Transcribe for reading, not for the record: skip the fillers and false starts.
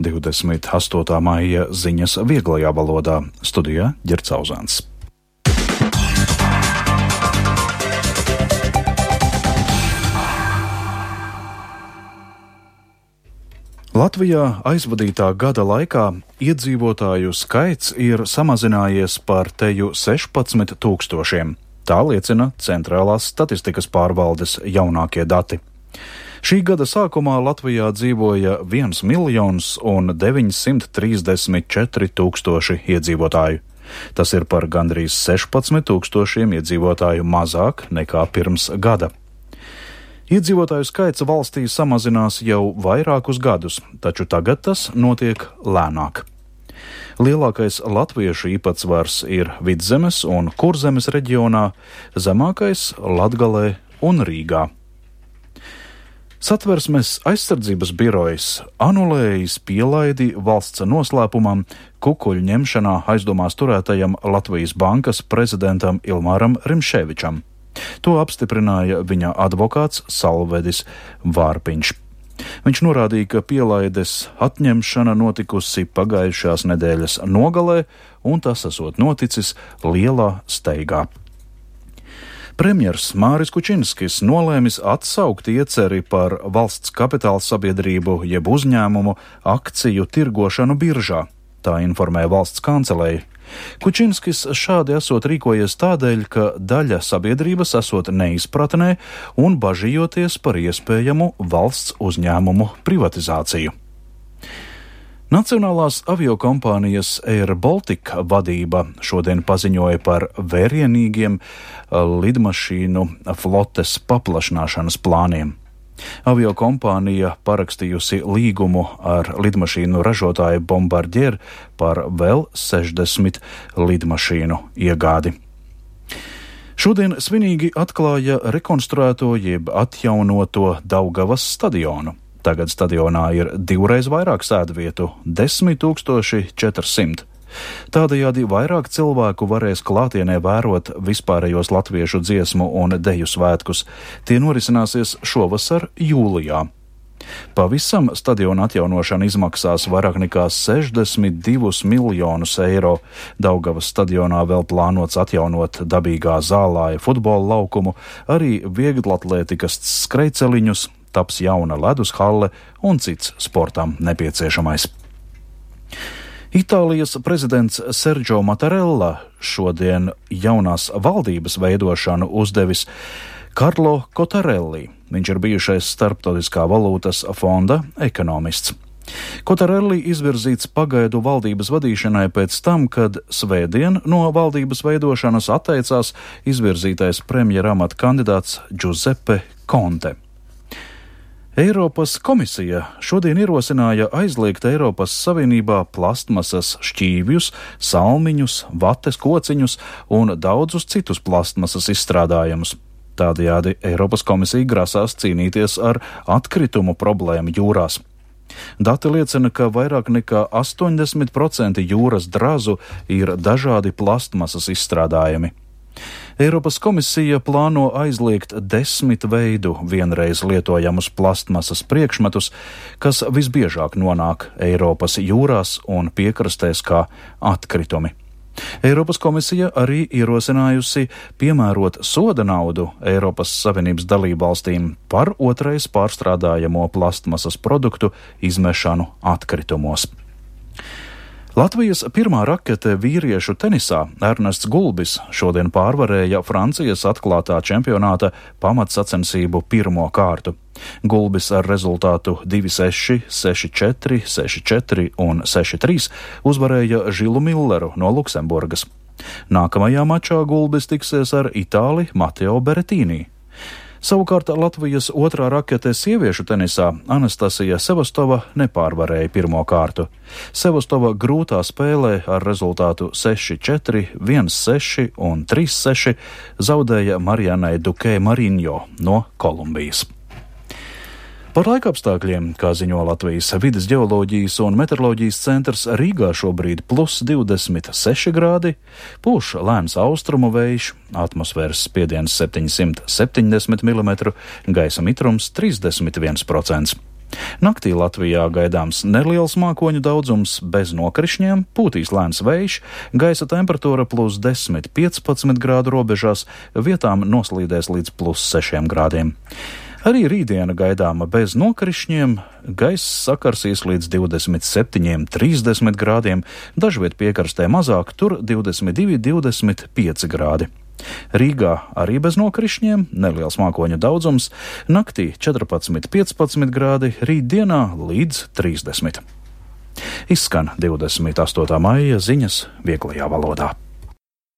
28. maija ziņas vieglajā valodā. Studijā Ģerts Auzāns. Latvijā aizvadītā gada laikā iedzīvotāju skaits ir samazinājies par teju 16 000. Tā liecina Centrālās statistikas pārvaldes jaunākie dati. Šī gada sākumā Latvijā dzīvoja 1 934 000 iedzīvotāju. Tas ir par gandrīz 16 000 iedzīvotāju mazāk nekā pirms gada. Iedzīvotāju skaits valstī samazinās jau vairākus gadus, taču tagad tas notiek lēnāk. Lielākais latviešu īpatsvars ir Vidzemes un Kurzemes reģionā, zemākais Latgalē un Rīgā. Satversmes aizsardzības birojs anulējis pielaidi valsts noslēpumam kukuļu ņemšanā aizdomās turētajam Latvijas bankas prezidentam Ilmāram Rimšēvičam. To apstiprināja viņa advokāts Salvedis Vārpiņš. Viņš norādīja, ka pielaides atņemšana notikusi pagājušās nedēļas nogalē, un tas esot noticis lielā steigā. Premjers Māris Kučinskis nolēmis atsaukt ieceri par valsts kapitāla sabiedrību jeb uzņēmumu akciju tirgošanu biržā, tā informē valsts kanceleja. Kučinskis šādi esot rīkojies tādēļ, ka daļa sabiedrības esot neizpratnē un bažījoties par iespējamu valsts uzņēmumu privatizāciju. Nacionālās aviokompānijas Air Baltica vadība šodien paziņoja par vērienīgiem lidmašīnu flotes paplašināšanas plāniem. Aviokompānija parakstījusi līgumu ar lidmašīnu ražotāju Bombardier par vēl 60 lidmašīnu iegādi. Šodien svinīgi atklāja rekonstruēto jeb atjaunoto Daugavas stadionu. Tagad stadionā ir 2 reiz vairāk sēdvietu – 10 400. Tādējādi vairāk cilvēku varēs klātienē vērot vispārējos latviešu dziesmu un deju svētkus. Tie norisināsies šovasar jūlijā. Pavisam stadiona atjaunošana izmaksās vairāk nekā 62 miljonus eiro. Daugavas stadionā vēl plānots atjaunot dabīgā zālāja futbola laukumu, arī vieglatlētikas skrejceliņus, taps jauna ledus halle un cits sportam nepieciešamais. Itālijas prezidents Sergio Mattarella šodien jaunās valdības veidošanu uzdevis Karlo Kotarelli. Viņš ir bijušais Starptautiskā valūtas fonda ekonomists. Kotarelli izvirzīts pagaidu valdības vadīšanai pēc tam, kad svētdien no valdības veidošanas atteicās izvirzītais premjera amata kandidāts Giuseppe Conte. Eiropas komisija šodien ierosināja aizliegt Eiropas Savienībā plastmasas šķīvjus, salmiņus, vates kociņus un daudzus citus plastmasas izstrādājumus. Tādējādi Eiropas komisija grasās cīnīties ar atkritumu problēmu jūrās. Dati liecina, ka vairāk nekā 80% jūras drazu ir dažādi plastmasas izstrādājumi. Eiropas komisija plāno aizliegt 10 veidu vienreiz lietojamus plastmasas priekšmetus, kas visbiežāk nonāk Eiropas jūrās un piekrastēs kā atkritumi. Eiropas komisija arī ierosinājusi piemērot soda naudu Eiropas Savienības dalībvalstīm par otrais pārstrādājamo plastmasas produktu izmešanu atkritumos. Latvijas pirmā rakete vīriešu tenisā Ernests Gulbis šodien pārvarēja Francijas atklātā čempionāta pamatsacensību pirmo kārtu. Gulbis ar rezultātu 2-6, 6-4, 6-4 un 6-3 uzvarēja Žilu Milleru no Luksemburgas. Nākamajā mačā Gulbis tiksies ar Itāli Mateo Beretīnī. Savukārt Latvijas otrā rakete sieviešu tenisā Anastasija Sevastova nepārvarēja pirmo kārtu. Sevastova grūtā spēlē ar rezultātu 6-4, 1-6 un 3-6 zaudēja Marijanai Dukē Mariņo no Kolumbijas. Par laikapstākļiem, kā ziņo Latvijas vides ģeoloģijas un meteoroloģijas centrs, Rīgā šobrīd +26 grādi, pūš lēns austrumu vējš, atmosfēras spiediens 770 mm, gaisa mitrums 31%. Naktī Latvijā gaidāms neliels mākoņu daudzums bez nokrišņiem, pūtīs lēns vējš, gaisa temperatūra +10–15 grādu robežās, vietām noslīdēs līdz +6 grādiem. Arī rītdiena gaidāma bez nokrišņiem, gaiss sakarsīs līdz 27–30 grādiem, dažviet piekrastē mazāk, tur 22–25 grādi. Rīgā arī bez nokrišņiem, neliels mākoņu daudzums, naktī 14–15 grādi, rītdienā līdz 30. Izskan 28. maija ziņas vieglajā valodā.